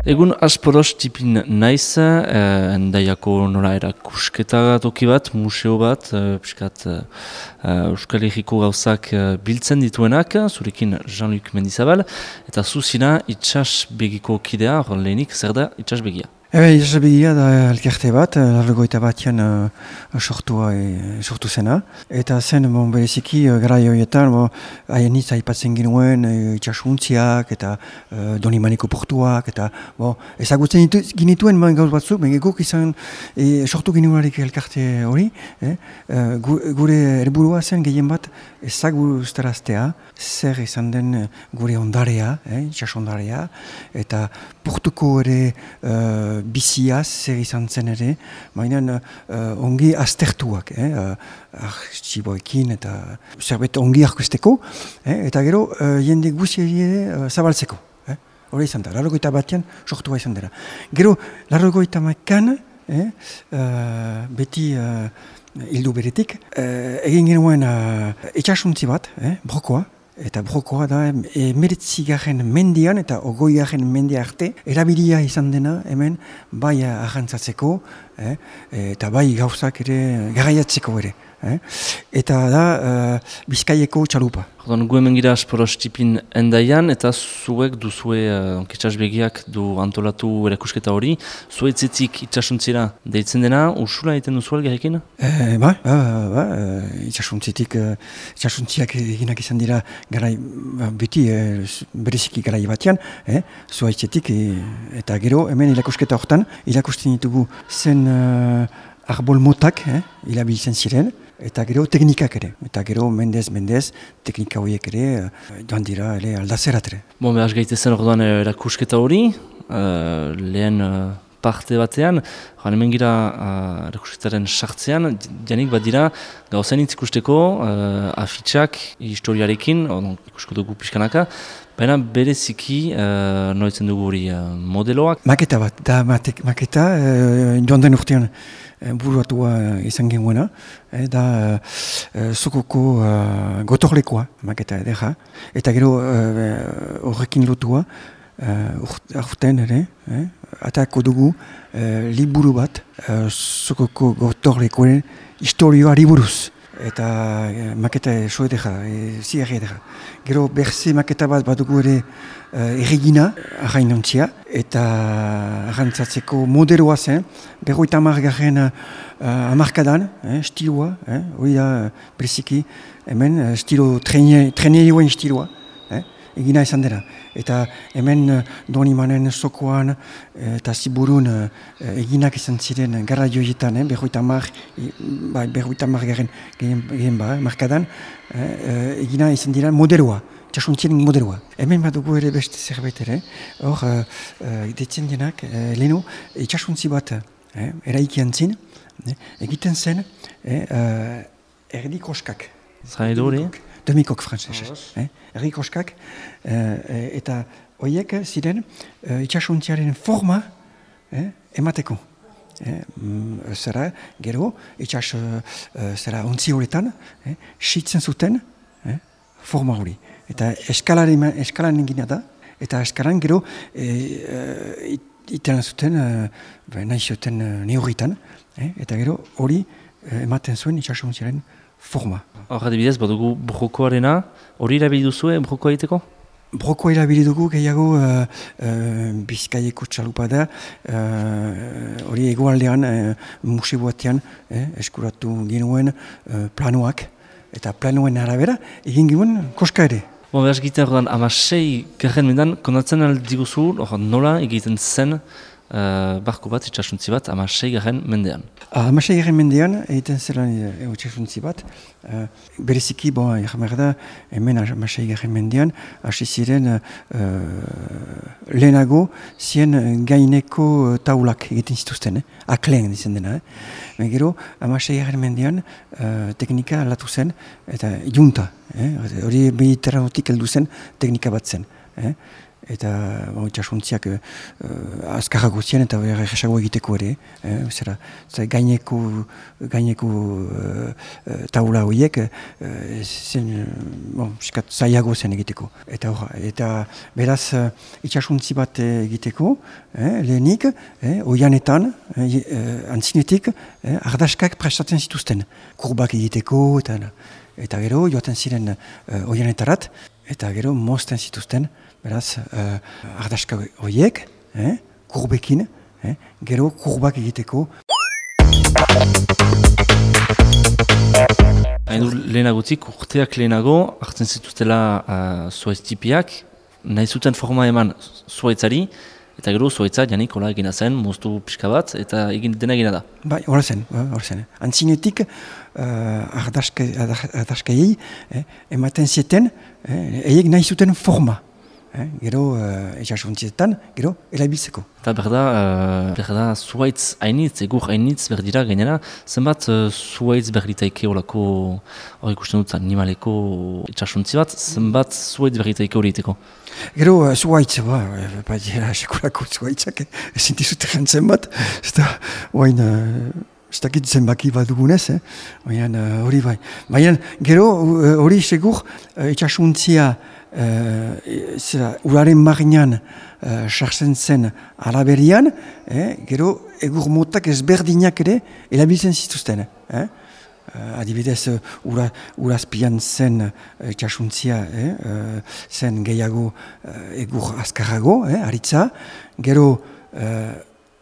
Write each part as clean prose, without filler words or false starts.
Egun asporos tipin naiz, endaiako nola erakusketa toki bat, museo bat, piskat Euskal Herriko gauzak biltzen dituenak, zurekin Jean-Luc Mendizabal, eta zuzina itsasbegiko kidea, hor lehenik, zer da itsasbegia? Itsasbegia da elkarte bat, largoita batean sortu zena. Eta zen bereziki garai horietan, haien hitz aipatzen genuen itxasuntziak eta Donimaniko portuak, eta ezagutzen ginituen gauz batzuk, guk izan sortu genuenarik elkarte hori. Gure helburua zen gehien bat ezagutaraztea, zer izan den gure ondarea, itsasondarea, eta portuko ere biziaz zer izan zen ere, baina ongi aztertuak, artxiboekin eta zerbait ongi arkusteko, eta gero jende guzi ere zabaltzeko. Hori izan da, 81 sortua izan dira. Gero, 81 beti hildu beretik, egin genuen itsasuntzi bat, brokoa, eta brokoa da 19. mendian eta 20. mendia arte erabilia izan dena hemen bai arrantzatzeko eta bai gauzak ere garaiatzeko ere. Eta da Bizkaieko txalupa. Gu hemen gira asporos tipin endaian, eta zuek duzue itsasbegiak du antolatu erakusketa hori. Zuetzetik itsasuntzira deitzen dena, ursula egiten duzu algerekin? Itsasuntziak eginak izan dira garai, beti bereziki garai batean, zuaitzetik, eta gero hemen erakusketa hortan, erakusten ditugu zen arbol motak, ilabiltzen ziren, eta gero teknikak ere. Eta gero mendez, teknika horiek ere, joan dira aldazerat ere. Behaz gaitezen orduan erakusketa hori, lehen parte batean, hemen gira erakusketaren sartzean, janik bat dira gauzain ikusteko afitxak historiarekin, ikusko dugu pixkanaka, baina bereziki noitzen dugu hori modeloak. Maketa bat, da maketa joan den urtean buruatua izan genuena, da Sokoko gotorlekoa maketa edera, eta gero horrekin lotua, aurten ere, atako dugu liburu bat Sokoko gotorlekoen historioari buruz. Eta maketa so edera, ziarri edera. Gero berze maketa bat badugu ere erregina, arrainontzia, eta arrantzatzeko modeloa zen, 50. hamarkadan, stiloa, hori da bereziki, hemen stilo trenerioen stiloa, egina izan dira. Eta hemen Donimanen sokoan eta Ziburun eginak izan ziren gara joietan, 50 markadan, egina izan dira modeloa, itxasuntzien modeloa. Hemen badugu ere beste zerbait ere, hor ditzen denak, leheno, itxasuntzi bat eraikian zin, egiten zen erdikoskak. Zara edo hori? Demikok frantzesez. Erdikoskak, eta horiek ziren itxasuntziaren forma emateko. Zara, gero, itxas ontzi horretan, sitzen zuten forma hori. Eta eskalan egina da, eta eskalan gero iten zuten, nahi zuten neurritan, eta gero hori ematen zuen itxasuntziaren forma. Hor adibidez, badugu brokoarena, hori erabili duzue brokoa egiteko? Brokoa erabili dugu gehiago Bizkaieko txalupa da, hori egoaldean museo batean eskuratu genuen planoak, eta planoen arabera egin genuen koska ere. Behaz egiten ordan 16. mendan, kondatzen aldiguzu, nola egiten zen barko bat, itxasuntzi bat, 16. mendean. 16. mendean egiten zelan itxasuntzi bat, bereziki, jamer da, hemen 16. mendean, hasi ziren lehenago zien gaineko taulak egiten zituzten, akleen dizen dena. Gero, 16. mendean teknika aldatu zen, eta junta, hori mediterranotik heldu zen teknika bat zen. eta itxasuntziak azkarrago ziren eta erresago egiteko ere. Zera, gaineko taula horiek zen zaiago zen egiteko. Eta beraz itxasuntzi bat egiteko, lehenik, oianetan, antzinetik, ardaskak prestatzen zituzten. Kurbak egiteko, eta gero joaten ziren oianetarat, eta gero mozten zituzten, beraz, ardaska horiek, kurbekin, gero kurbak egiteko. Hain du lehenagutzik, urteak lehenago, hartzen zituztela zuaitz tipiak, nahi zuten forma eman zuaitzari, eta gero zuaitza janik hola egina zen, moztu pixka bat, eta dena egina da. Bai, hor zen. Antzinetik, ardaskaiei ematen zieten, eiek nahi zuten forma. Gero itxasuntzietan, gero erabiltzeko. Eta berda zuaitz hainitz, egur hainitz berdira gainera, zenbat zuaitz berditaike olako, hori ikusten dut animaleko itxasuntzi bat, zenbat zuaitz berditaike hori iteko? Gero zuaitz, dira sekulako zuaitzak, ezin dizut jantzen bat, ez da, ez dakit zenbaki bat dugunez, hori bai. Baina gero hori segur itxasuntzia uraren marinan sartzen zen alaberian, gero egur motak ezberdinak ere erabiltzen zituzten. Adibidez, urazpian zen itxasuntzia, zen gehiago egur azkarrago, aritza, gero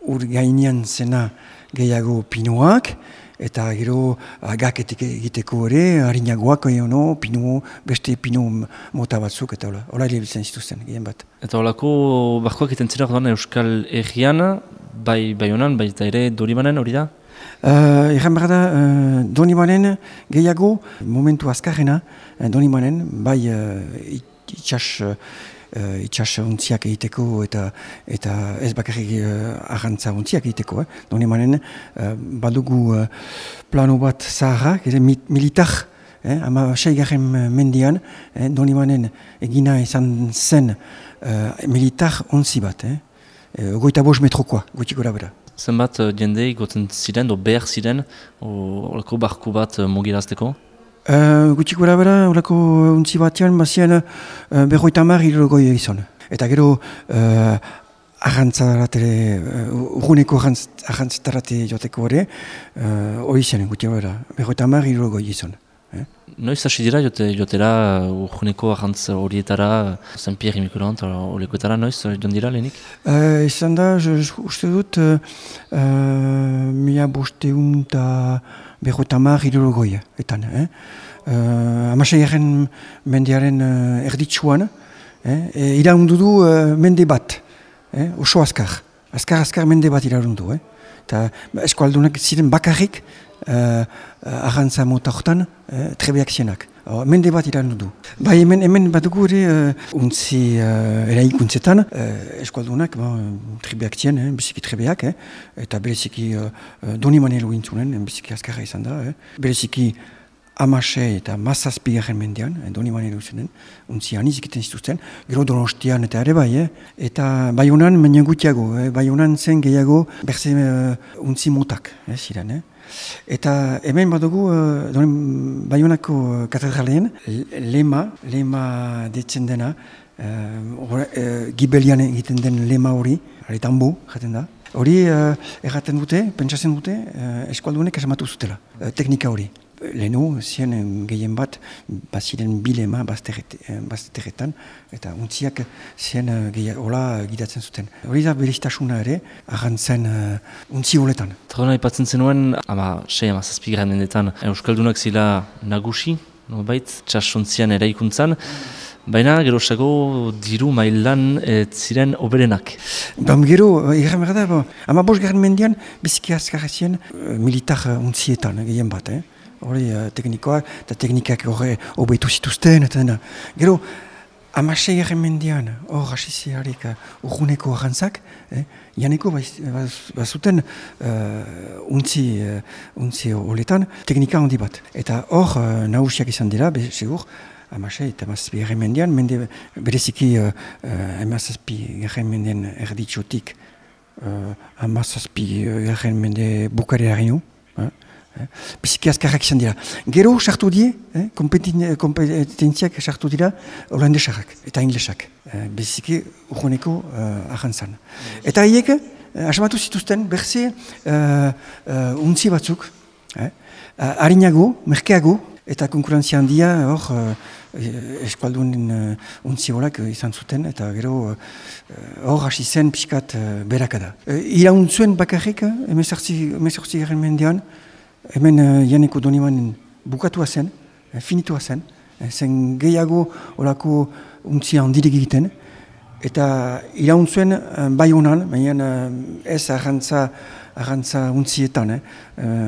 ur gainean zena gehiago pinuak, eta gero agaketik egiteko ere, harinagoak, beste pinu mota batzuk, eta hola erabiltzen zituzten, gehien bat. Eta holako barkoak egiten zira Euskal Herrian, bai honan, bai eta ere Donibanen hori da? Egan behar da, Donibanen gehiago, momentu azkarrena, Donibanen, bai itxas untziak egiteko eta ez bakarrik arrantza untziak egiteko. Donibanen badugu plano bat zaharrak, militar, 6. mendian, Donibanen egina izan zen militar ontzi bat. 25 metrokoa, gutxi gora bera. Zenbat jende goten ziren, behar ziren, olako barku bat mugirazteko? Gutxi gora bera, horako untzi batean, bazien 50 izan. Eta gero urguneko arrantzatarate joteko ere, hori zen, gutxi gora bera, 50 izan. Noiz hasi dira jotera urguneko arrantz horietara, Saint-Pierre Miquelon, olekoetara, noiz joan dira lehenik? Izan da, uste dut, 1550 etan. 16. mendiaren erditsuan, iraundu du mende bat, oso azkar mende bat iraundu. Eta eskualdunak ziren bakarrik, arrantza mota hortan, trebeak zienak. Mende bat iraundu du. Bai, hemen badugu ere untzi eraikuntzetan, eskualdunak trebeak zien, biziki trebeak, eta bereziki Donibanelo intzunen, biziki azkarra izan da. Bereziki 16 eta 17. mendean, Donibanelo zenen, untzi aniz egiten zituzten, gero Donostian eta ere bai, eta Baionan baina gutiago, Baionan zen gehiago berze untzi motak ziren. Eta hemen badugu Baionako katedralean lema detzen dena, gibelian egiten den lema hori, tambo jaten da. Hori erraten dute, pentsatzen dute, eskualdunek esamatu zutela, teknika hori. Lehenu, zien gehien bat, baziren bilema bazterretan, eta untziak zien hola gidatzen zuten. Hori da beriztasuna ere, arrantzen untzi holetan. Trona ipatzen zenuen, 6-7 mendetan, Euskaldunak zila nagusi, nobait, txasontzian eraikuntzan, baina gerosago diru mailan ziren oberenak. Gero, egan behar da, 15. mendian, biziki azkarra zien militar untzietan gehien bat, hori teknikoak, eta teknikak hori obetu zituzten, eta dena. Gero, 16. mendian, hor hasiziarik urguneko arrantzak, janeko bazuten untzi holetan teknika handi bat. Eta hor nagusiak izan dira, segur, amasei eta amazazpi garren mendean, bereziki amazazpi garren mendean erditxotik amazazpi garren mende bukarera gino. Biziki azkarrak izan dira. Gero sartu die, kompetentziak sartu dira holandesak eta inglesak. Biziki urroneko ahantzan. Eta haiek, asmatu zituzten berze untzi batzuk, harinago, merkeago, eta konkurentzia handia hor eskualdunen untzi horak izan zuten, eta gero hor hasi zen pixkat berakada. Irauntzuen bakarrik, emezortzi garren mendean, hemen Janeko Donimanen bukatua zen, finitua zen, zen gehiago olako untzia handirik egiten, eta irauntzuen bai honan, baina ez arrantza untzietan,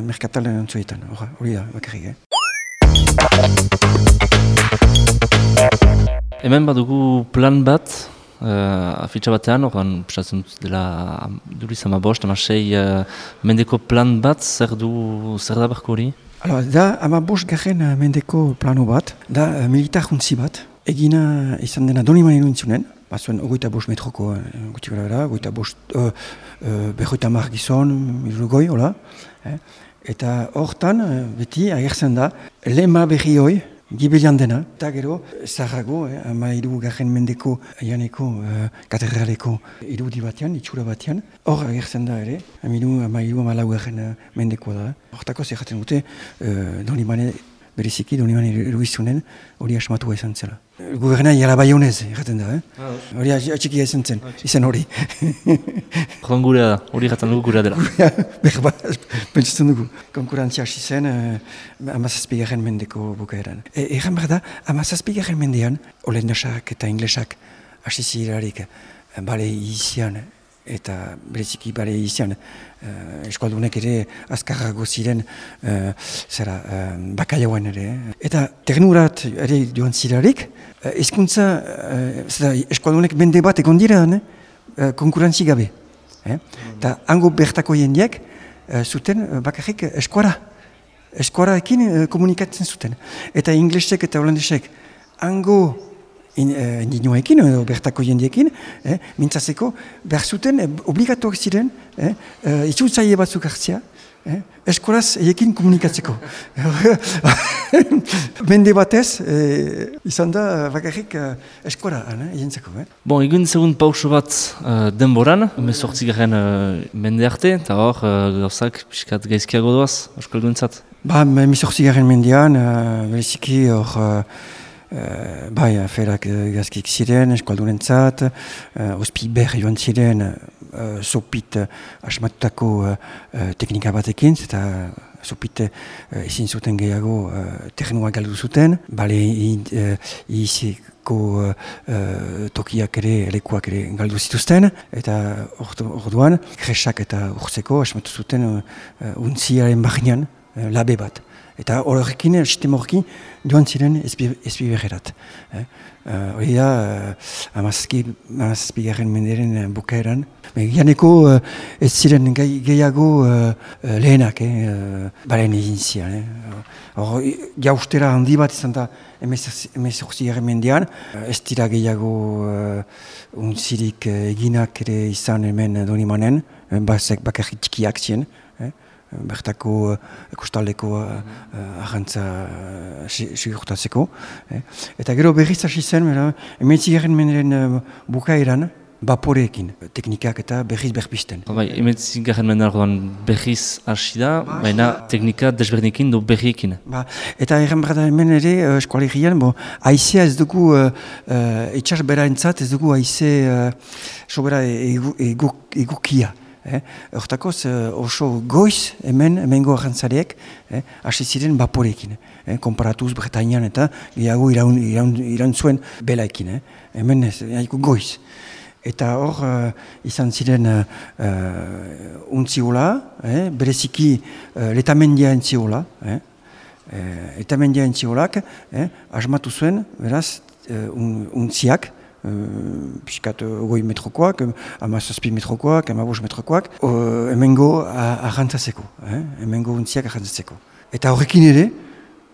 merkatalen untzuetan, hori da, bakarrik. Hemen badugu plan bat, afitxa batean, horren pisatzen dut dela duriz amabost, amasei mendeko plan bat, zer da barko hori? Da amabost garren mendeko plano bat, da militar untzi bat, egina izan dena Donimanen untzunen, bazuen 25 metroko guti gara bera, 50 gizon, irugoi, hola. Eta hortan, beti, agertzen da, lema berri hoi, gibelian dena, eta gero, zaharrago, 13 garren mendeko Janeko katedraleko irudi batean, itxura batean, hor agertzen da ere, 13 garren mendeko da. Hortako zerraten dute, Donimane, bereziki, Donimane eruizunen, hori asmatua izan zela. Guberna jala baionez, erraten da, hori atxikia izan zen, izan hori. Joan gurea da, hori erraten dugu gurea dela. Berba, pentsatzen dugu. Konkurentzia hasi zen, amazazpi garren mendeko bukaeran. Erran behar da, amazazpi garren mendean, holandesak eta inglesak hasi zirarik bale izian, eta bereziki bale izian, eskualdunek ere azkarrago ziren bakaiauan ere. Eta ternurat ere joan zirarik, hezkuntza eskualdunek mende bat egon dira konkurentzi gabe. Eta hango bertako jendeak zuten bakarrik eskuaraekin komunikatzen zuten. Eta inglesek eta holandesek hango ninoekin, bertako jendeekin, mintzatzeko, behar zuten obligatuak ziren, itzultzaile batzuk hartzea, eskoraz ekin komunikatzeko. Mende batez, izan da bakarrik eskora jentzeko. Bon, egun segun pauso bat denboran, 18 garren mende arte, eta hor gauzak pixkat gaizkiago doaz, euskalduentzat? 18 garren mendean, bereziki hor bai, aferak gazkik ziren, eskualdurentzat, ospi ber joan ziren, sopit asmatutako teknika batekin, eta sopit ezin zuten gehiago terrenua galdu zuten, bale iziko tokiak ere, lekuak ere galdu zituzten, eta orduan, kresak eta urtzeko asmatu zuten untziaren barnean labe bat. Eta horrekin, sistema horrekin, joan ziren ezbiberrerat. Hori da, amazazpi garren menderen bukaeran. Janeko ez ziren gehiago lehenak, baren egin zian. Jaustera handi bat izan da, 18 garren mendean. Ez dira gehiago untzirik eginak ere izan hemen Donimanen, bakarrik txikiak ziren. Bertako kostaldeko ahantza sigurtatzeko. Eta gero berriz hasi zen, 19 garren menderen bukaeran, baporeekin, teknikak eta berriz berpisten. 19 garren mendean berriz hasi da, baina teknika desberdinekin do berriekin. Eta erran behar da hemen ere, eskualegian, haizea ez dugu, itxas bera entzat, ez dugu haize sobera egukia. Hortakoz oso goiz hemengo ahantzariek hasi ziren baporekin. Konparatuz Bretañan eta gehiago irantzuen belaekin. Hemen goiz. Eta hor izan ziren untziola, bereziki letamendia entziola. Letamendia entziolak asmatu zuen, beraz, untziak, piskat 20 metrokoak, 17 metrokoak, 15 metrokoak, hemengo ahantzatzeko, hemengo untziak ahantzatzeko. Eta horrekin ere,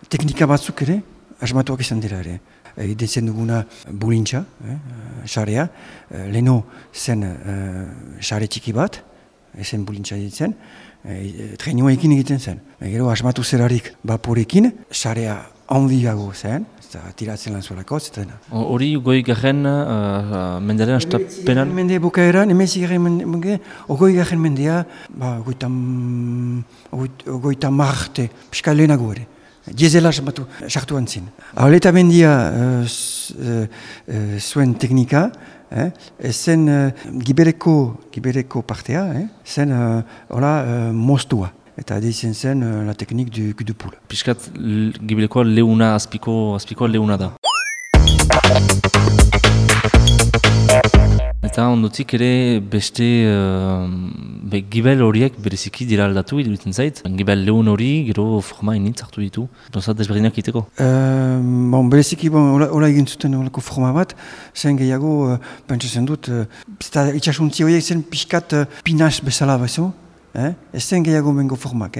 teknika batzuk ere, asmatuak izan dira ere. egiten duguna bulintza, sarea, leheno zen sare txiki bat, ezen bulintza ditzen, trainuekin egiten zen. Gero asmatu zerarik vaporekin, sarea handiago zen, eta tiratzen lan zuelako, zeten. Hori goi garen mendearen astapenan? Mende bukaeran, emezik garen mende, ogoi garen mendea, ogoita marte, pixka lehenago ere. Diezela sartu antzin. Auleta mendia zuen teknika, zen gibereko partea, zen moztua. Eta dizen zen la teknik du cul de poule. Piskat giberekoa leuna, azpikoa leuna da. Eta ondotik ere beste gibel horiek bereziki dira aldatu iruditzen zait. Gibel leun hori gero forma initz hartu ditu. Dozat desberdinak iteko? Bereziki hola egin zuten horako forma bat, zen gehiago pentsatzen dut, itxasuntzi horiek zen pixkat pinaz bezala bezo. Ez zen gehiago mengo formak,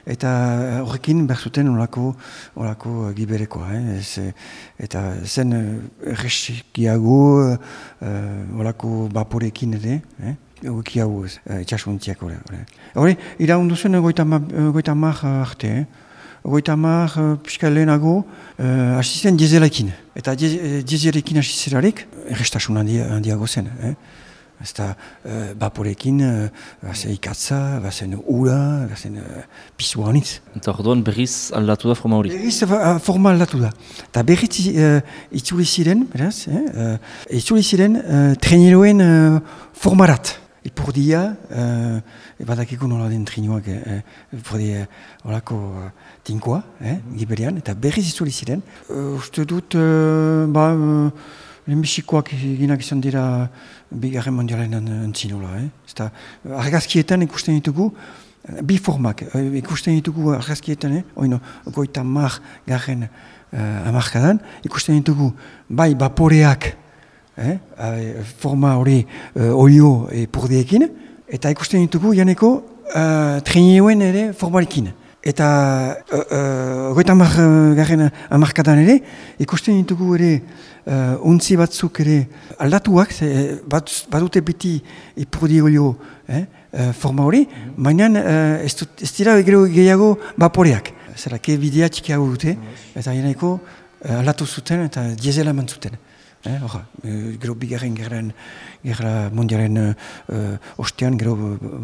eta horrekin behar zuten horako giberekoa, eta zen erreskiago horako vaporekin ere, egiago itxasuntziak hori. Hori, iraundu zen goita mar arte, goita mar pixka lehenago hasi zen diezelekin, eta diezelekin hasi zerarik errestasun handiago zen. Ezta vaporekin, bazen ikatza, bazen ura, bazen pisua honitz. Eta orduan berriz aldatu da forma hori? Berriz forma aldatu da. Eta berriz itzuli ziren, beraz, itzuli ziren traineroen formarat. Ipurdia, badakiko nola den traineroak, ipurdia horako tinkoa, giberian, eta berriz itzuli ziren. Uste dut, lehenbizikoak eginak izan dira bigarren mondialen antzinola. Eta argazkietan ikusten ditugu, bi formak ikusten ditugu argazkietan, goita mar garen amarkadan, ikusten ditugu bai vaporeak, forma hori olio purdiekin, eta ikusten ditugu janeko traineroen ere formarekin. Eta goita mar garen amarkadan ere, ikusten ditugu ere untzi batzuk ere aldatuak, badute beti ipurdi olio forma hori, baina ez dira gehiago vaporeak. Zerake bidea txikiago dute, eta janeko aldatu zuten eta diezela eman zuten. Gero bigarren gerra mondialen ostean gero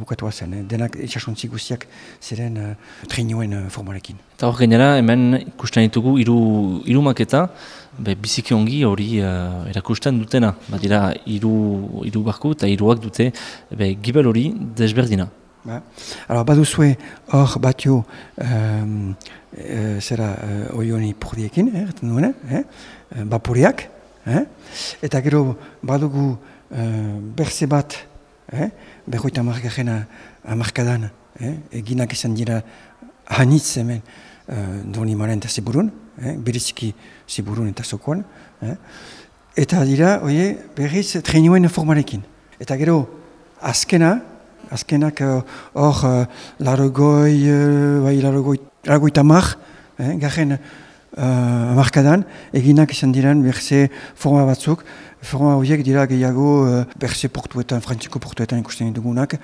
bukatua zen. Denak itxasuntzi guztiak ziren traineroen formarekin. Eta hor gainera, hemen ikusten ditugu hiru maketa, biziki ongi hori erakusten dutena. Badira hiru barku eta hiruak dute gibel hori desberdina. Baduzue hor batio oioni purdiekin, vaporeak, eta gero badugu berze bat, berroita margarren amarkadan, eginak izan dira hanitz hemen Donimaren eta Ziburun, bereziki Ziburun eta Zokoan, eta dira berriz traineroen formarekin. Eta gero azkenak hor larogoita mar, garen amarkadan, eginak izan diren berze forma batzuk. Forma horiek dira gehiago berze portuetan, frantziko portuetan ikusten ditugunak.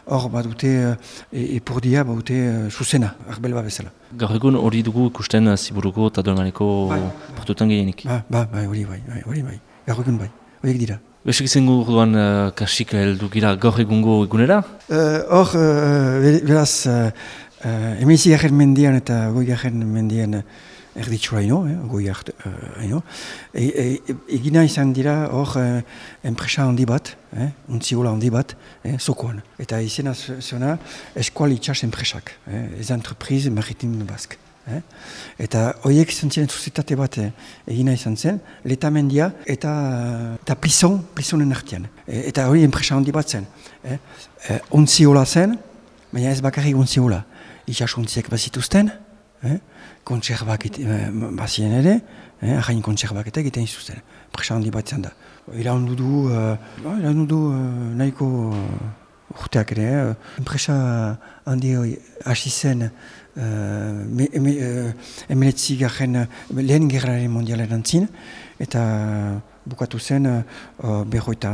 Hor badute epurdia, badute zuzena, arbel bat bezala. Gaur egun hori dugu ikusten Ziburuko eta Donimareko portuetan gehienik? Hori bai, gaur egun bai, horiek dira. Besek izango orduan kasik heldu gira gaur egungo egunera? Hor, beraz, emezi garen mendian eta goi garen mendian erditsura goi haino. Egina izan dira hor enpresa handi bat, untziola handi bat, Zokoan. Eta izena zona Eskual Itxas enpresak, ez entreprise maritime bask. Eta horiek izan ziren sozietate bat egina izan zen, letamendia eta plisonen artean. Eta hori enpresa handi bat zen. Untziola zen, baina ez bakarrik untziola. Itxasuntziek bazituzten, kontserbak bazien ere, ahain kontserbak eta egiten izuzten. Enpresa handi bat zen da. Iraundu du nahiko urteak ere. Enpresa handi hasi zen lehen gerraren mondialen antzin, eta bukatu zen berroita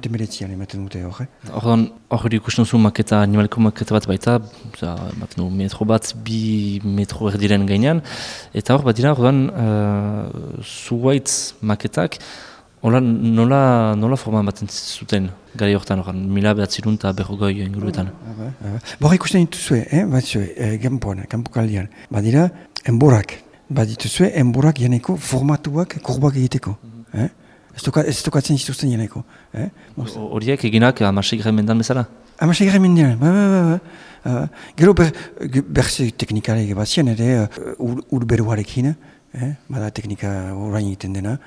emeletzian ematen dute hor. Hor ikusten duzu maketa, animaliko maketa bat baita, ematen du metro bat, 2 metro erdiren gainean, eta hor bat dira, zuhaitz maketak, nola forma baten zuten gari horretan, 1940 inguruetan. Hor ikusten dituzue, kanpokaldian, badira, enborak. Badituzue, enborak janeko formatuak kurbak egiteko. Ez tokatzen zituzten janeko. Horiek eginak 16. mendan bezala? 16. mendan, Gero berze teknikarek bat zien, ere urberuarekin, bada teknika orain egiten dena,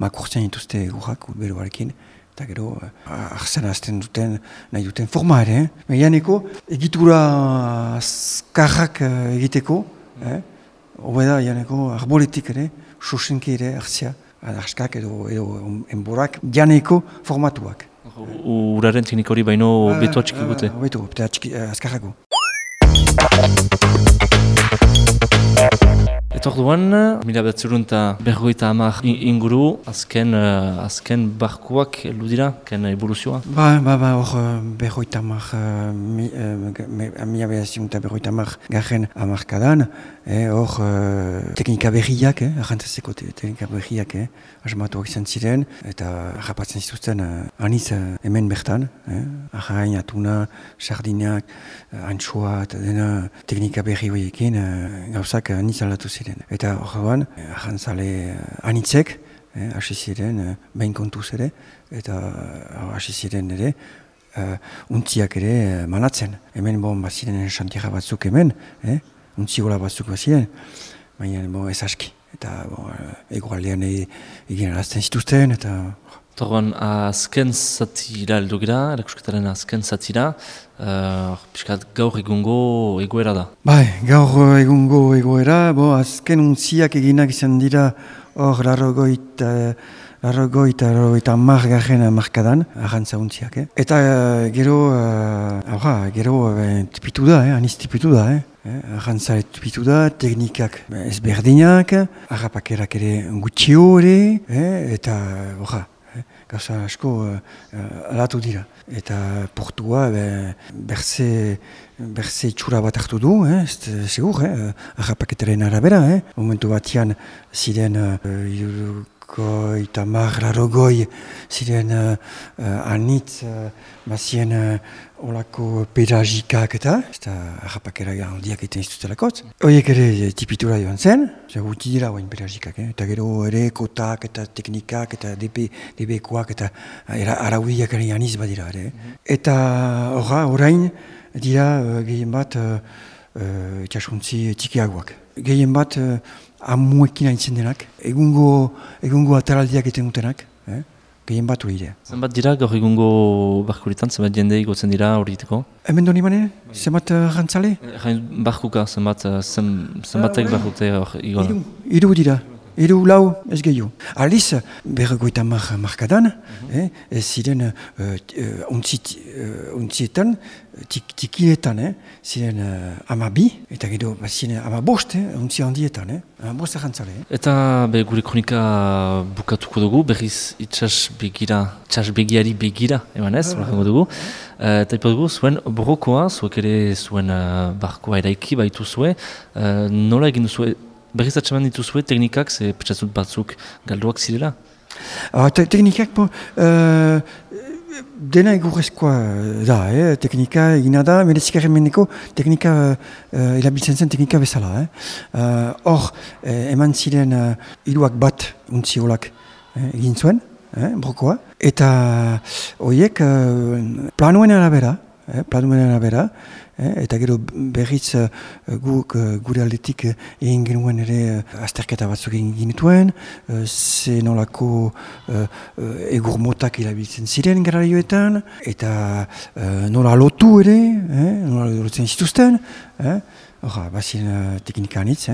makurtzen dituzte gurrak urberuarekin, eta gero arzan azten duten, nahi duten forma ere. Janeko egitura azkarrak egiteko, hobeda janeko arboletik ere, sosenki ere arzia, askak edo enborak janeko formatuak. Uraren teknik hori baino beto atxiki gute? Beto, azkarrako. Eta orduan, 1950 inguru, azken barkuak heldu dira, ken evoluzioa? Hor berroita garen amarkadan, hor teknika berriak, arrantzazeko teknika berriak, asmatuak izan ziren, eta harrapatzen zituzten aniz hemen bertan, arrain, atuna, sardinak, antxoa, eta dena teknika berri horiekin gauzak aniz aldatu ziren. Eta horrean, ahantzale anitzek, hasi ziren, behin kontuz ere, eta hasi ziren ere, untziak ere manatzen. Hemen baziren xantiera batzuk hemen, untziola batzuk baziren, baina ez aski. Eta egualdean egin arazten zituzten, eta... Torban, azken zatira heldu gira, erakusketaren azken zatira, piskat gaur egungo egoera da. Gaur egungo egoera, azken untziak eginak izan dira hor larrogoita garen markadan, arrantza untziak. Eta gero tipitu da, aniz tipitu da. Arrantza tipitu da, teknikak ezberdinak, harrapakerak ere gutxio ere, eta gauza asko alatu dira. Eta portua berze itxura bat hartu du, segur, harrapaketaren arabera. Momentu batian ziren larrogoi ziren anitz bazien olako pedagikak eta harrapakera handiak egiten zitutelakotz. Horiek ere tipitura joan zen, guti dira oain pedagikak, eta gero ere kotak eta teknikak eta DB-koak eta araudiak ere aniz badira. Eta orain dira gehien bat itxasuntzi txikiagoak. Gehien bat amuekin haintzen denak, egungo ataraldiak egiten dutenak, gehien bat hori dira. Zenbat dira gaur egungo barkuritan, zenbat jende igotzen dira hori diteko? Hemen doni manen, zenbat rantzale? Barkuka, zenbatek barkute hor igoan? Hiru dira. 3, 4 ez gehiago. Aliz, berrogoita markadan, ziren untzietan, tikietan, ziren 12, eta gero ziren 15, untzia handietan, 15 jantzale. Eta gure kronika bukatuko dugu, berriz itxas begiari begira, eman ez, horretango dugu. Eta ipat dugu, zuen borrokoa, zuek ere zuen barkoa eraiki baitu zue, nola egin duzue? Berriz atxeman dituzue teknikak, ze petxatzut batzuk galduak zirela? Teknikak, dena egurrezkoa da, teknika egina da, merezikaren mendeko teknika erabiltzen zen teknika bezala. Hor, eman ziren 3 bat untziolak egin zuen, brokoa, eta horiek planuen arabera, eta gero berriz gure aldetik egin genuen ere azterketa batzuk egin genituen, ze nolako egur motak erabiltzen ziren garraioetan, eta nola lotu ere, nola lotzen zituzten, bazien teknika anitz,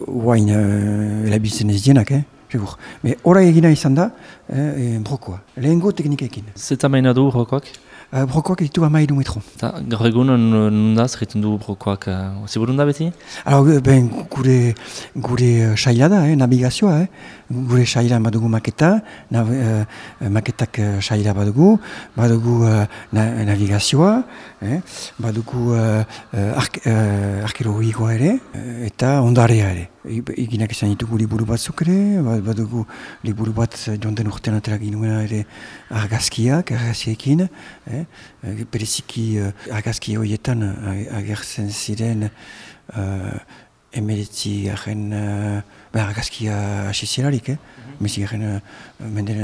guain erabiltzen ez dienak, segur. Hora egina izan da, brokoa. Lehengo teknikekin. Zeta maina du brokoak? Brokoak ditu 12 metro. Eta gaur egun nundaz egiten du brokoak, ziburun da beti? Gure saila da, navigazioa. Gure saila badugu maketa, maketak saila badugu navigazioa, badugu arkeologikoa ere, eta ondarea ere. Eginak izan ditugu liburu batzuk ere, badugu liburu bat jonten urtean atera ginuena ere argazkiekin, bereziki argazki horietan agertzen ziren emeretzi garen argazkia hasi zelarik, mezi garen menden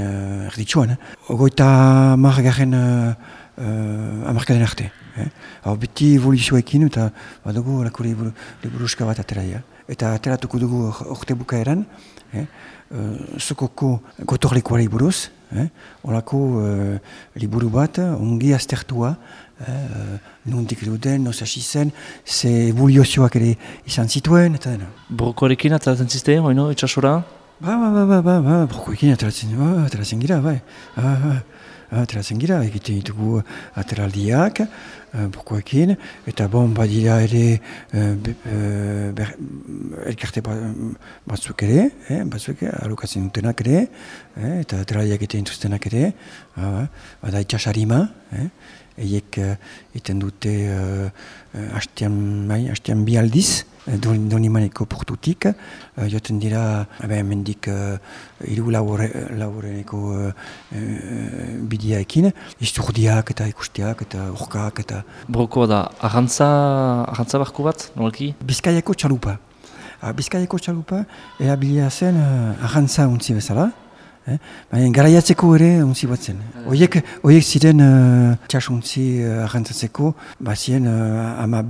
erditsuan. Ogoita mar garen amarkaden arte. Beti evoluzioekin eta badugu lako liburuska bat ateraia. Eta ateratuko dugu orte bukaeran, Sokoko gotorlekuari buruz, olako liburu bat, ongi aztertua, nondik duten, nos hasi zen, ze evoluzioak ere izan zituen, eta dena. Brokoarekin ateratzen ziste, oino, itxasora? Brokoekin ateratzen gira, bai. Ateratzen gira, egiten ditugu ateraldiak, brokoekin, eta badira ere elkarte batzuk ere, alokatzen dutenak ere, eta ateraldiak egiten dituztenak ere, bada itxasarima, eiek egiten dute hastean bi aldiz, Donimaneko portutik, joten dira mendik hiru laureneko bideaekin, isturdiak eta ikusteak eta orkak eta... Brokoa da, arrantza barku bat, nolaki? Bizkaiako txalupa. Bizkaiako txalupa erabilia zen arrantza untzi bezala, baina garaiatzeko ere untzi bat zen. Oiek ziren txasuntzi arrantzatzeko, bazien ama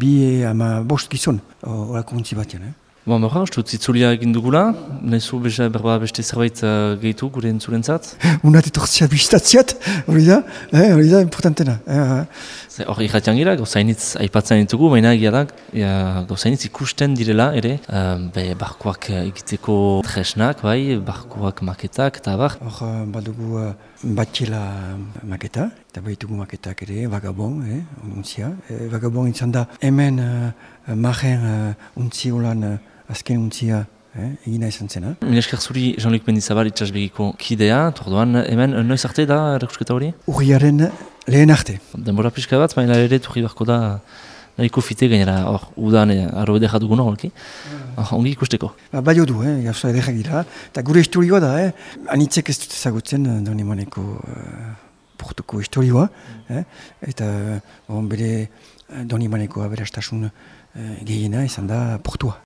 bost gizon, horako untzi batean. Berra, uste zitzulia egin dugula, nahizu beste zerbait gehitu gure entzulentzat? Unat etortzea biztatziat, hori da importantena. Hor irratian gira, gauzainitz aipatzen ditugu, baina egia da, gauzainitz ikusten direla ere, barkoak egiteko tresnak, barkoak maketak eta bar. Hor badugu batxela maketa, eta baitugu maketak ere, vagabon, untzia. Vagabon izan da, hemen marren untzi holan azken untzia egina izan zena. Milesker zuri Jean-Luc Mendizabal itxasbegiko kidea, tordoan hemen noiz arte da erakusketa hori? Urriaren lehen arte. Denbora pixka bat, baina ere turri barko da nahiko fite gainera, udan arro edera dugun horrelki, ongi ikusteko. Baio du, gauza edera gira, eta gure historioa da, anitzek ez dut ezagutzen Donimaneko portuko historioa, eta bere Donimaneko aberastasun gehiena izan da portua.